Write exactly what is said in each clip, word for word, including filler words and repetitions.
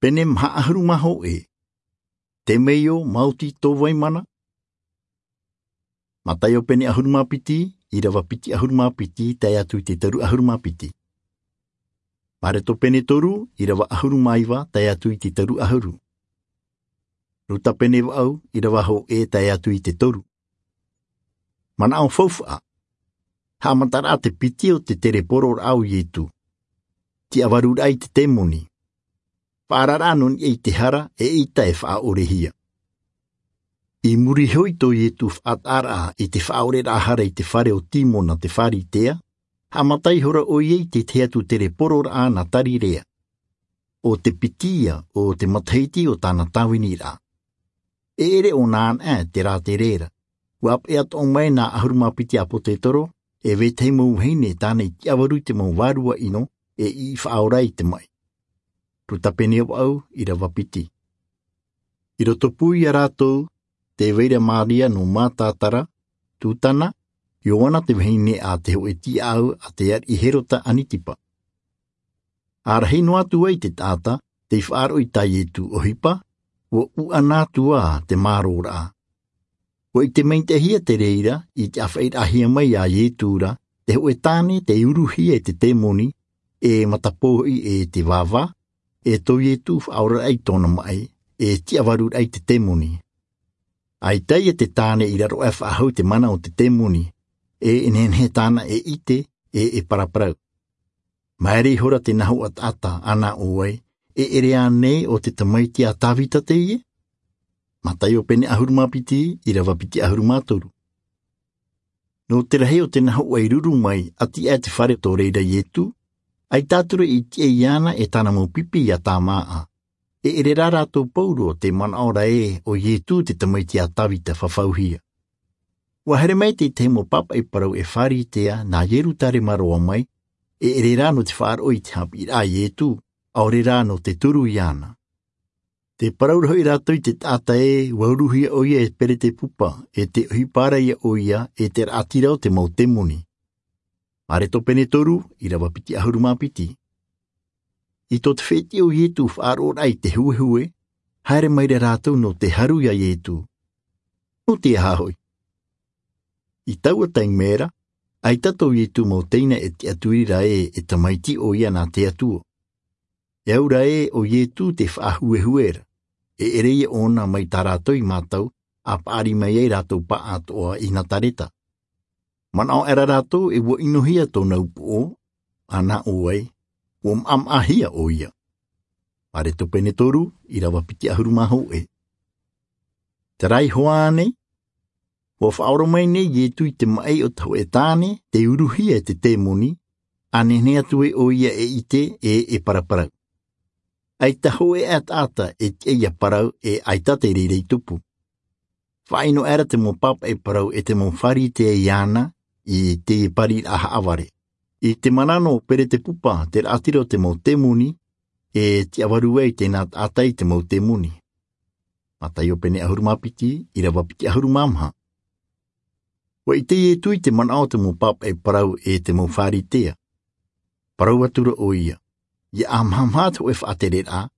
Pene maha ʻahuru mā hōʻē. Te meio maoti tō vai mana. Mataio pene ʻahuru mā piti, ʻīrava piti ʻahuru mā piti tae atu i te toru ʻahuru mā piti. Mareto pene toru, ʻīrava ʻahuru mā iva tae atu i te toru ʻahuru. Ruta pene vaʻu, ʻīrava hōʻē tae atu i te toru. Manaʻo faufaʻa. Haʻamataraʻa te piti o te terepororaʻa o Ietu. Tiʻavaruraʻa i te temoni. Faʻaararaʻa nō niʻa i te hara e ʻita e faʻaʻorehia. I muri iho i tō Ietu faʻataʻaraʻa i te faʻaʻoreraʻa hara i te fare o Timona te Pharisea, haʻamata ihora ʻoia i te tahi atu terepororaʻa nā Tarirea. ʻO te piti ia o te matahiti o tāna tāviniraʻa. E ʻere ʻōna anaʻe te rātere ra. ʻUa ʻāpeʻe atoʻa mai nā ʻahuru mā piti ʻāpōsetolo, e vetahi mau vahine tāna i tiʻavaru i te mau vārua ʻino, e i faʻaora i te maʻi. Ruta pene vaʻu, ʻīrava piti. I rotopū ia rātou, tē vai ra Maria nō Matatara, Tutana, Ioana te vahine a te hōʻē tiaʻau a te ariʻi Herota Anitipa. ʻA rahi noa atu ai te taʻata tei faʻaroʻo i tā Ietu ʻohipa, ʻua ʻuʻana atu ā te mārōraʻa. ʻUa ʻite maitaʻihia te reira i te ʻāfaʻiraʻahia mai a Ietu ra te hōʻē tāne tei uruhia e te temoni, e matapō hoʻi e te vāvā, e tō Ietu faʻaoraraʻa i tōna maʻi, e tiʻavaruraʻa i te temoni. ʻAita ia te tāne i raro aʻe faʻahou i te mana o te temoni, e nehenehe tāna e ʻite, e e paraparau. Maere ihora te nā hōʻē taʻata, ʻa nā ʻō ai, e ʻere ānei ʻo te tamaiti a Tavita teie? Mataio pene ʻahuru mā piti, ʻīrava piti ʻahuru mā toru. Nō te rahi o te nā hōʻē i ruru mai, ʻati aʻe te fare tō reira Ietu, ʻaita atu rā i tiʻa iāna e tāna mau pipi ia tāmāʻa. E ʻere rā rātou pauroa tē manaʻo ra ē ʻo Ietu te tamaiti a Tavita fafauhia. ʻUa haere mai te tahi mau pāpaʻi parau e Pharisea nā Ierutarema roa mai, e ʻere rā nō te faʻaroʻo i te haʻapiʻiraʻa a Ietu, ʻaore rā nō te turu iāna. Tē parau ra hoʻi rātou i te taʻata ē, ʻua uruhia ʻoia e Peretepupa, e tē ʻohipa ra ia ʻoia, e te raʻatira o te mau temoni. Mareto pene toru, ʻīrava piti ʻahuru mā piti. I tō te fētiʻi o Ietu faʻaroʻoraʻa i te huehue, haere mai ra rātou nō te haru ia Ietu. Nō te aha hoʻi? I taua taime ra, ʻaita tō Ietu mau teina e tiʻaturi ra ē, e tamaiti ʻoia nā te Atua. E au ra ē ʻo Ietu te faʻahuehue ra, e ʻere ia ʻōna mai tā rātou i mātau, ʻa paʻari mai ai rātou paʻatoʻa i Nazareta. Manaʻo aʻera rātou e ʻua ʻinohia tōna upoʻo, ʻa nā ʻō ai, ʻua maʻamaʻahia ʻoia. Mareto pene toru, ʻīrava piti ʻahuru mā hōʻē. Terā iho ānei, ʻua faʻaora mai nei Ietu i te maʻi o te hōʻē tāne tei uruhia e te temoni, ʻa nehenehe atu ai ʻoia e ʻite, e e paraparau. ʻAita hōʻē aʻe taʻata e tiʻa ia parau, e ʻaita te reira i tupu. Faʻaʻino aʻera te mau pāpaʻi parau e te mau Pharisea iāna i te pariraʻa haʻavare. I te mana nō Peretepupa te raʻatira o te mau temoni, e tiʻavaru ai te nā taʻata i te mau temoni. Mataio pene ʻahuru mā piti, ʻīrava piti ʻahuru mā maha. ʻUa ʻite Ietu i te manaʻo o te mau pāpaʻi parau e te mau Pharisea. Parau atu ra ʻoia, ʻia ʻāmahamaha te hōʻē faʻatereraʻa,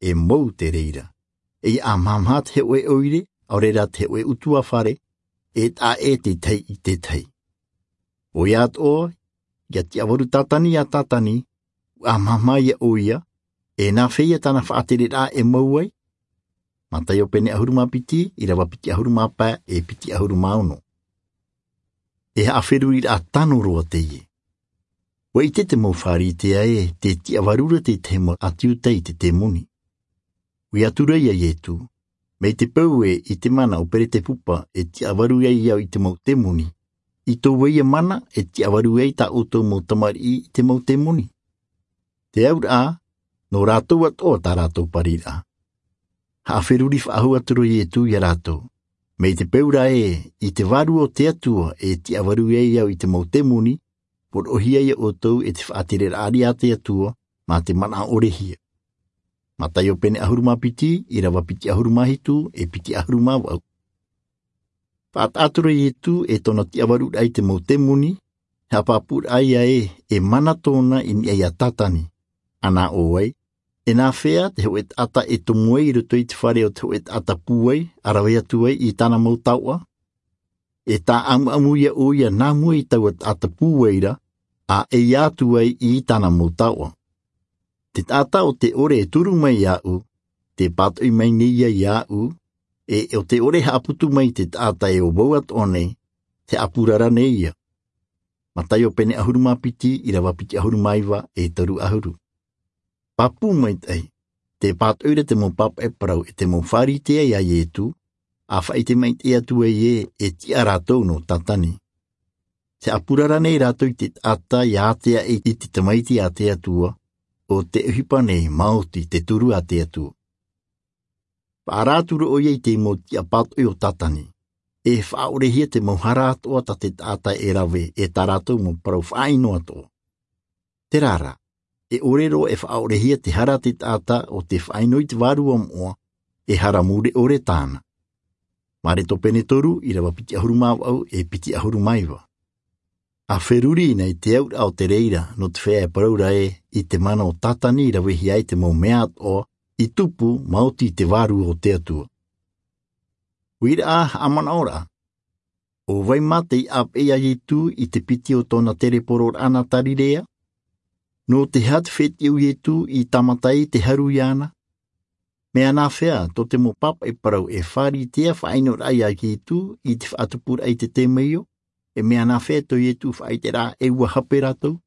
e mou te reira. E ʻia ʻāmahamaha te hōʻē ʻoire, ʻaore rā te hōʻē ʻutuāfare, e taʻa ʻē te tahi i te tahi. ʻOia atoʻa, ʻia tiʻavaru Satani ia Satani, ʻua ʻāmahamaha ia ʻoia, e nā hea ia tāna faʻatereraʻa e mou ai? Mataio pene ʻahuru mā piti, ʻīrava piti ʻahuru mā pae, e piti ʻahuru mā ono. E haʻaferuriraʻa tano roa teie. ʻUa ʻite te mau Pharisea ē, tē tiʻavaru ra te tahi mau ʻāti Iuta i te temoni. ʻUa ʻite atu ra ia Ietu, mai te peu ē i te mana o Peretepupa e tiʻavaru ai au i te mau temoni, i tō vai ia mana e tiʻavaru ai tā ʻoutou mau tamariʻi i te mau temoni. Te auraʻa, nō rātou atoʻa tā rātou pariraʻa. Haʻaferuri faʻahou atu ra Ietu ia rātou, mai te peu ra ē, i te Vārua o te Atua e tiʻavaru ai au i te mau temoni, poroʻohia ia ʻoutou e te faʻatereraʻa riʻi a te Atua, mā te manaʻo ʻorehia. Mataio pene ʻahuru mā piti, ʻīrava piti ʻahuru mā hitu, e piti ʻahuru mā vaʻu. Faʻataʻa atu ra Ietu e tōna tiʻavaruraʻa i te mau temoni, haʻapāpūraʻa ia ē, e mana tōna i niʻa ia Satani, ʻa nā ʻō ai, E nāfea te hoʻe taʻata e tomo ai i roto i te fare o te hoʻe taʻata pūai, a rave atu ai i tāna mau taoʻa? E tāʻamuʻamu ia ʻoia nā mua i taua taʻata pūai ra, a e ia atu ai i tāna mau taoʻa. Te taʻata o te ʻore e turu mai iāʻu, te pātoʻi mai nei ia iāʻu, e o te ʻore e haʻaputu mai te taʻata e ʻo vau atoʻa nei, te haʻapurara nei ia. Mataio pene ʻahuru mā piti, ʻirava piti ʻahuru mā iva, e toru ʻahuru. Pāpū maitaʻi, te pātoʻi ra te mau pāpaʻi parau e te mau Pharisea iā Iesu, a faʻaʻite maitaʻi atu ai ē, e tiʻa rātou nō Satani. Te haʻapurara nei rātou i te taʻata ia ātea i te Tamaiti a te Atua, ʻo te ʻohipa nei maoti te turu a te Atua. Faʻaara atu ra ʻoia i te mau tiʻa pātoʻi o Satani. E faʻaʻorehia te mau hara atoʻa tā te taʻata e rave, e tā rātou mau parau faʻaʻino atoʻa. Terā rā, e ʻore roa e faʻaʻorehia te hara a te taʻata o te faʻaʻino i te Vārua Moʻa, e hara mure ʻore tāna. Mareko pene toru, ʻirava piti ʻahuru mā vaʻu, e piti ʻahuru mā iva. A feruri nei te auraʻa o te reira, nō te feiā e parau ra ē, i te mana o Satani i ravehia ai te mau mea atoʻa, i tupu, maoti i te Vārua o te Atua. Uiraʻa haʻamanaʻoraʻa. ʻO vai mā tei ʻāpeʻe iā Iesu i te piti o tōna terepororaʻa nā Galileia? Nō te aha te fētiʻi o Iesu i tāmata ai te haru iāna? Mea nāfea tō te mau pāpaʻi parau e Pharisea faʻaʻinoraʻa iā Iesu i te faʻatupuraʻa i te temeio? E mea nāfea tō Iesu faʻaʻiteraʻa e ʻua hape rātou?